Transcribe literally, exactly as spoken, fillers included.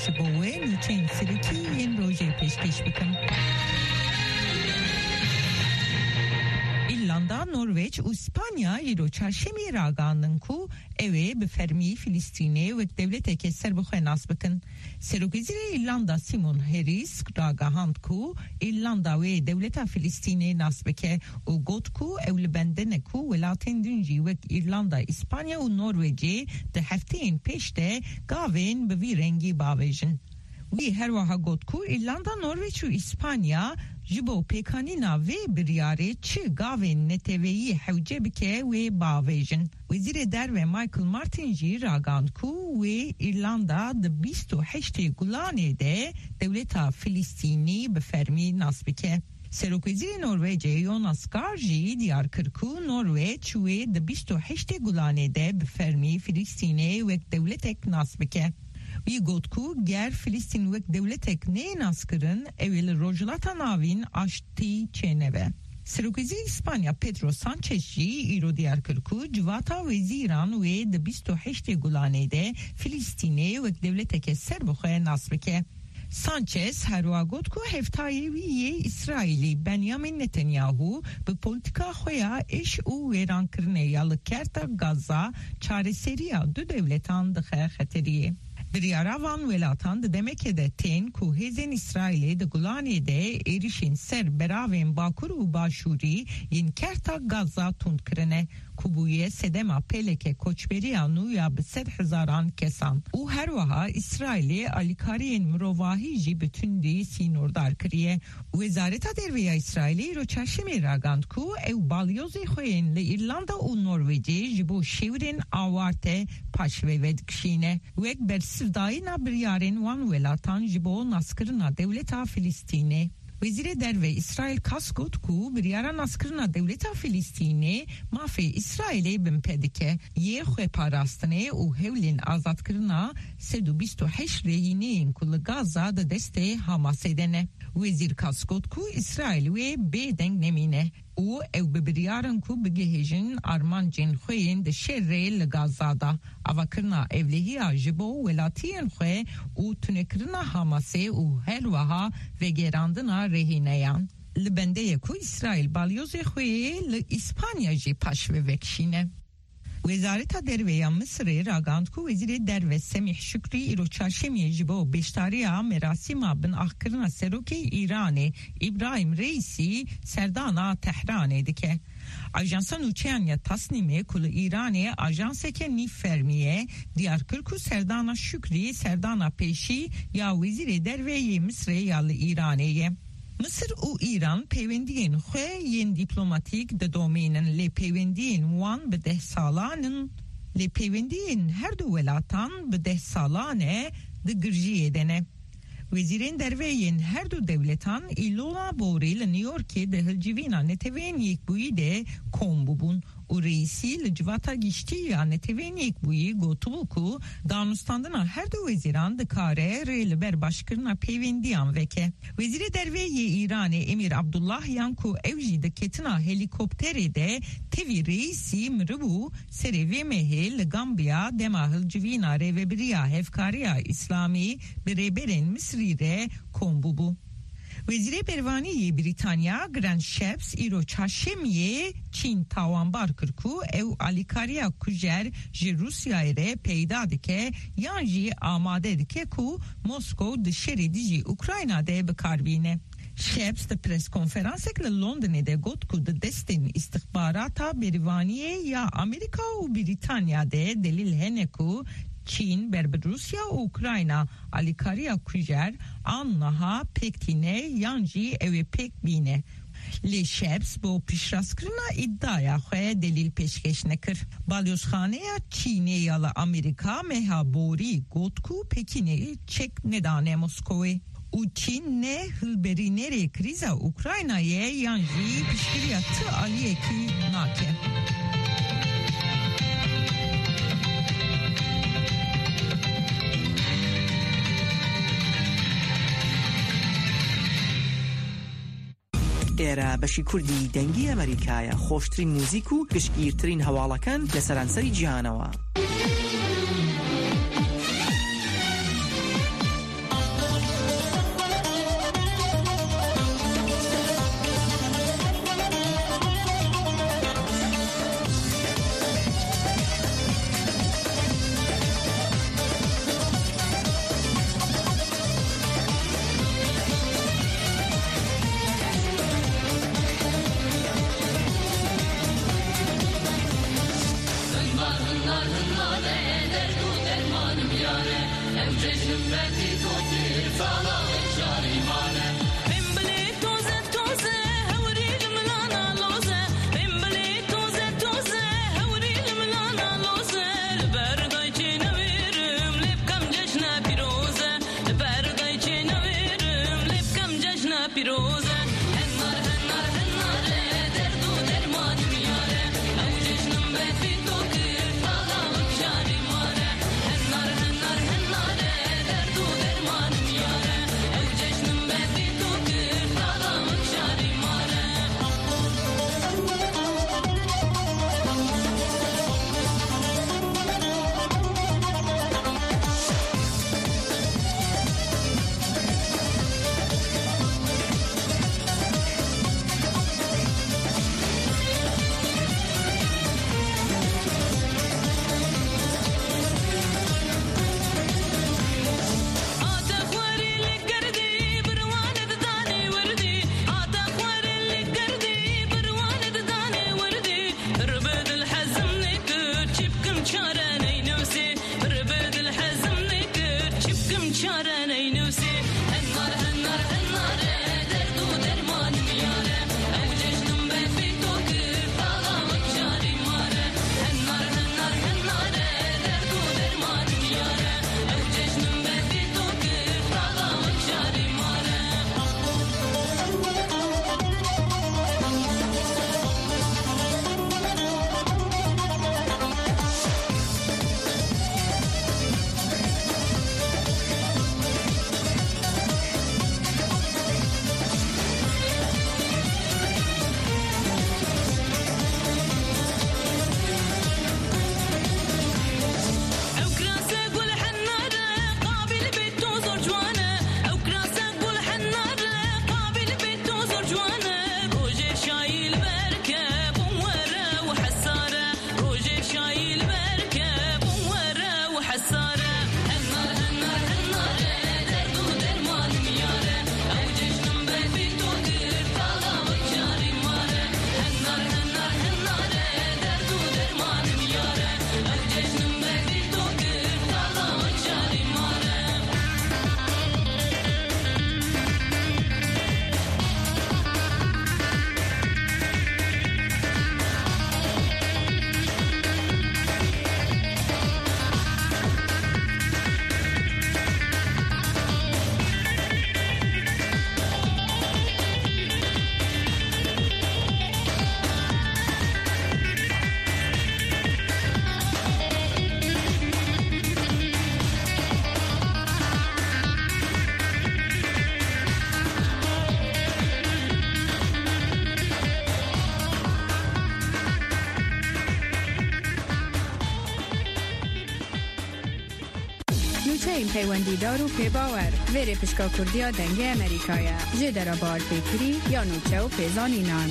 Ji bo we nûçeyên serekî yên rojê pêşkêş bikim. Îrlanda, Norweç û Spanya îro çarşemê ragandin ku ew ê bi fermî Filistînê wek dewleteke serbixwe nas bikin. Serokwezîrê Îrlanda Simon Harris ragihand ku Îrlanda wê dewleta Filistînê nas bike û got ku ew li bende ne ku welatên din jî wek Îrlanda, Îspanya û Norwecê di hefteyên pêş de gavên bi vî rengî bavêjin. Wî her wiha got ku Îrlanda, Norweç û Îspanya ji bo pêkanîna vê biryarê çi gavên neteweyî hewce bike wê bavêjin. Wezîrê Derve Michael Martin jî ragand ku wê Îrlanda di bîst û heştê Gulanê de dewleta Filistînî bi fermî nas bike. Serokwezîrê Norwecê Jonas Gahr jî diyar kir ku Norweç wê di bîst û heştê Gulanê de bi fermî Filistînê wek dewletek nas bike. Wî got ku ger Filistîn wek dewletek neyê naskirin, ew ê li Rojhilata Navîn aştî çênebe. Serokwezîrê Îspanya Pedro Sanchez jî îro diyar kir ku civata wezîran wê di bîst û heştê Gulanê de Filistînê wek dewleteke serbixwe nas bike. Sanchez herwiha got ku hevtayê wî yê Îsraîlî Benyamin Netanyahu bi polîtîka xwe ya êş û wêrankirinê ya li kerta Gaza çareseriya du dewletan dixe xeteriyê. Biryara van welatan di demekê de tên ku hêzên Îsraîlê di Gulanê de êrişên ser beravên bakur û başûrî yên kerta Gaza tund kirine, ku bûye sedema pêleke koçberiya nû ya bi sed hezaran kesan û her wiha Îsraîlê alîkariyên mirovahî jî bi tundî sînordar kiriye. Wezareta Derve ya Îsraîlê îro çarşemê ragand ku ew balyozê xwe yên li Îrlanda û Norwecê ji bo şêwirên awarte paşve vedikişîne, wek bersivdayîna biryarên wan welatan ji bo naskirina dewleta Filistînê. Wezîrê Derve Îsraîl Katz got ku biryara naskirina dewleta Filistînê mafê Îsraîlê binpê dike, yê xweparastinê û hewlên azadkirina sed û bîst û heşt rehîneyên ku li Gaza di destê Hamasê de ne. Wezîr Katz got ku Îsraîl wê bêdeng nemîne û ew bi biryar in ku bigihêjin armancên xwe yên di şerê li Gaza de, avakirina ewlehiya ji bo welatiyên xwe û tunekirina Hamasê û her wiha vegerandina rehîneyan. Li bende ye ku Îsraîl balyozê xwe yê li Îspanya jî paşve vekişîne. Wezareta Derve ya Misirê ragand ku Wezîrê Derve Semîh Şukrî îro çarşemiyê ji bo beşdariya merasîma binaxkirina serokê Îranê Îbrahîm Reîsî serdana Tehranê dike. Ajansa nûçeyan ya Tasnîmê ku li Îranê ajanseke nîv fermî ye, diyar kir ku serdana Şukrî serdana pêşî ya Wezîrê Derve yê Misirê ya li Îranê ye. Misir û Îran peywendiyên xwe yên dîplomatîk didomînin, lê peywendiyên wan bi deh salan in, lê peywendiyên her du welatan bi deh salan e di girjiyê de ne. Wezîrên derve yên her du dewletan îlona borî li New Yorkê di hilcivîna Neteweyên Yekbûyî de kom bûbûn û Reîsî li Civata Giştî ya Neteweyên Yekbûyî gotibû ku danûstandina her du wezîran dikare rê li ber başkirina peywendiyan veke. Wezîrê Derve yê Îranê Emîr Abdullahiyan ku ew jî di ketina helîkopterê de tevî Reîsî miribû, serê vê mehê li Gambiya dema hilcivîna Rêvebiriya Hevkariya Îslamî bi rêberên Misrî re kom bûbû. Wezîrê Bervanî yê Brîtanya Grant Shapps îro çarşemiyê Çîn tawanbar kir ku ew alîkariya kujer ji Rûsyayê re peyda dike yan jî amade dike ku Moskow di şerê dijî Ukrayna de bi kar bîne. Shapps di preskonferansek li Londonê de got ku di destên îstixbarata bervaniyê ya Amerîka û Brîtanya de delîl hene ku Çîn ber bi Rûsya û Ukrayna alîkariya kujer an niha pêk tîne yan jî ew ê pêk bîne. Lê Shapps bo piştrastkirina îdiaya xwe delîl pêşkêş nekir. Balyozxaneya Çînê ya li Amerîka meha borî got ku Pekînê çek nedane Moskowê û Çîn ne hilberînerê krîza Ukraynayê ye yan jî piştgiriya ti aliyekî nake. ئێرە بەشی کوردی دەنگی ئەمریکایە، خۆشترین موزیک و گشتگیرترین هەواڵەکان لە سەرانسەری جیهانەوە. Nûçeyên peywendîdar û pêbawer. Vêrê pişka Kurdiya Dengê Amerîka ye. Jêdera bawerpêkirî ya nûçe û pêzanînan.